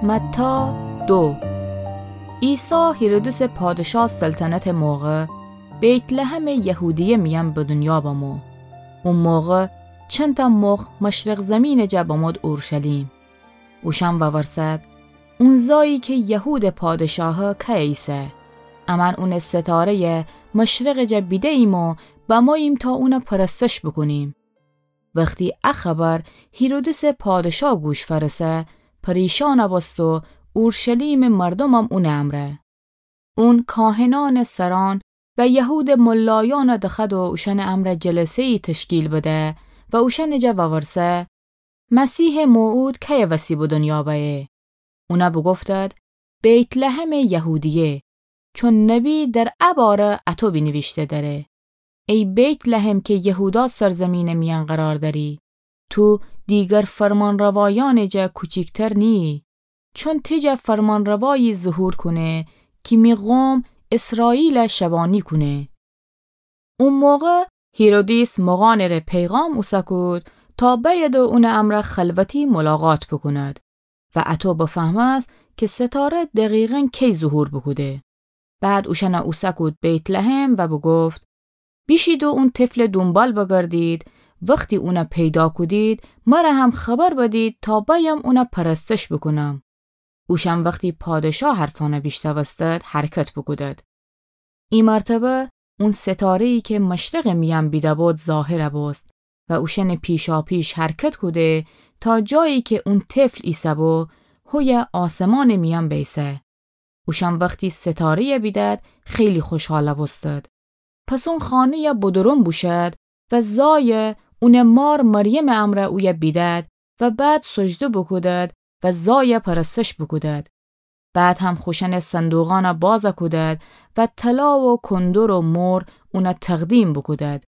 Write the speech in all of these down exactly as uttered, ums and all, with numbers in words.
متی دو. عیسی هیرودیسٚ پادشاه سلطنتٚ موقع بیت‌لحمٚ یهودیه میأن به دونیا بمو. او موقع چندتأ مخ مشرق زیمینٚ جا بمود اورشلیم. اوشأن وورسد: اون زایی کی یهودٚ پادشاهه کی ایسه؟ امأن اونٚ ستاره‌یه مشرقٚ جا بیده‌ییم و بموییم تا اون پرستش بوکونیم. وختی ا خبر هیرودیسٚ پادشاه گوش فأرسه، پریشأن بوست و اورشلیمٚ مردومم اونٚ امرأ. اون کاهنأنٚ سرأن و یهودٚ ملایأن دخوأد و اوشأنٚ امرأ جلسه‌یی تشکیل بده و اوشأنٚ جا وورسه: مسیحٚ موعود کی وسی به دونیا بأیه؟ اون بوگفتد: بیت‌لحمٚ یهودیه، چون نبی در ا باره اطو بینیویشته دأره: ای بیت‌لحم کی یهودا سرزیمینٚ میأن قرار دأری، تو دیگر فرمانروایأنٚ جا کوچیکتر نییی، چون تی جا فرمانروایی ظهور کونه کی می قوم اسرائیل شبانی کونه. او موقع هیرودیس مغانٚ ره پیغام اوسه کود تا بأید و اونٚ امرأ خلوتی ملاقات بوکوند و اطو بفهمست کی ستاره دقیقاً کی ظهور بوکوده. بعد اوشأن اوسه کود بیت‌لحم و بوگفت: بیشید و اون طفل دونبال بگردید، وختی اون پیدا کودید، مر هم خبر بدید تا بأیم اون پرستش بوکونم. اوشأن وختی پادشاه حرفأن بیشنوستد، حرکت بوکودد. ای مرتبه اون ستاره‌یی کی مشرقٚ میأن بیده بود، ظاهر بوست و اوشأنٚ پیشاپیش حرکت کوده تا جایی کی اون طفل ایسه‌بو، هویه آسمانٚ میأن بیسه. اوشأن وختی ستاره‌یه بیدد، خیلی خوشحال بوستد. پس اون خانه‌یه بدرون بوشد و زای اونٚ مار مریمٚ امرأ اویه بیدد و بعد سجده بوکودد و زای پرستش بوکودد. بعد هم خوشأنٚ صندوقأن باز کودد و طلا و کندر و مر اون تقدیم بوکودد.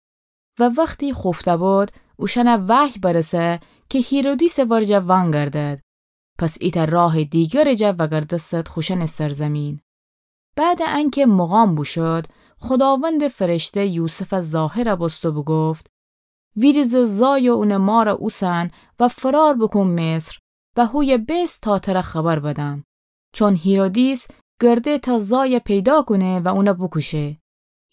و وختی خوفته بود، اوشأن وحی برسه کی هیرودیسٚ ورجه وأنگردد. پس ایتأ راه دیگرٚ جا وأگردستد خوشأنٚ سرزیمین. بعد انکی مقام بوشود، خوداوندٚ فرشته یوسف ظاهر بوست و بوگفت: ویریز و زای و اونٚ مار اوسن و فرار بوکون مصر و هویه بیس تا تر خبر بدم. چون هیرودیس گرده تا زای پیدا کونه و اون بوکوشه.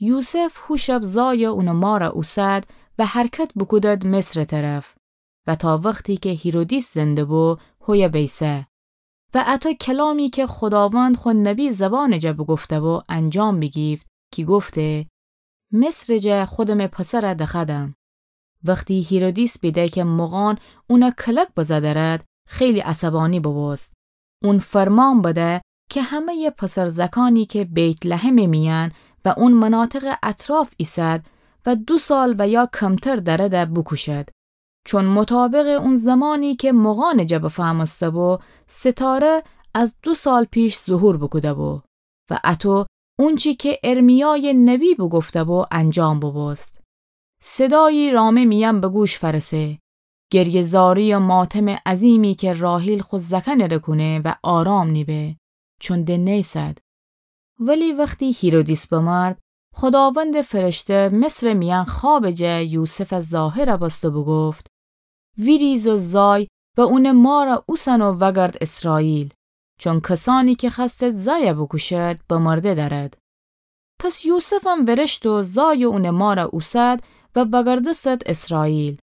یوسف هو شب زای و اونٚ مار اوسد و حرکت بوکودد مصرٚ طرف و تا وختی کی هیرودیس زنده بو، هویه بیسه. و اطو کلامی کی خوداوند خو نبی زبانٚ جا بوگفته بو، انجام بیگیفت کی گفته: مصرٚ جا خودمٚ پسر دخوأدم. وختی هیرودیس بیده کی مغان اون کلک بزه درد، خیلی عصبانی بوبوست. اون فرمان بده کی همه‌یٚ پسر زأکانی کی بیت‌لحمٚ میأن و اون مناطقٚ اطراف ایسد و دو سال و یا کمتر درده بوکوشد. چون مطابقٚ اون زمانی کی مغانٚ جا بفهمسته بو، ستاره از دو سال پیش ظهور بوکوده بو. و اطو اونچی کی ارمیایٚ نبی بوگفته بو، انجام بوبوست. صدایی رامه میأن به گوش فأرسه، گریه‌زاری و ماتمٚ عظیمی کی راحیل خو زأکأنٚ ره کونه و آرام نیبه، چون د نیسد. ولی وختی هیرودیس بمرد، خوداوندٚ فرشته مصرٚ میأن خوابٚ جا یوسف ظاهر بوست و بوگفت: ویریز و زای و اونٚ مار اوسن و وأگرد اسرائیل، چون کسانی کی خوأستد زای بوکوشد، بمرده درد. پس یوسفم ورشت و زای و اونٚ مار اوسد و وأگردستد اسرائیل.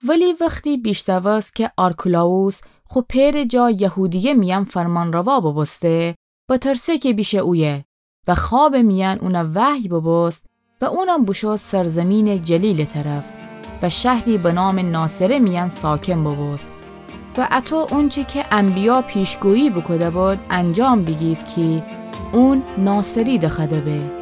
ولی وختی بیشنوست کی آرکلاوس خو پئرٚ جا یهودیه میأن فرمانروا بوبوسته، بترسه کی بیشه اویه. و خوابٚ میأن اون وحی بوبوست و اونم بوشو سرزیمینٚ جلیلٚ طرف و شهری به نامٚ ناصره میأن ساکن بوبوست. و اطو اونچی کی انبیا پیشگویی بوکوده بود، انجام بیگیفت کی اون ناصری دخوأده به.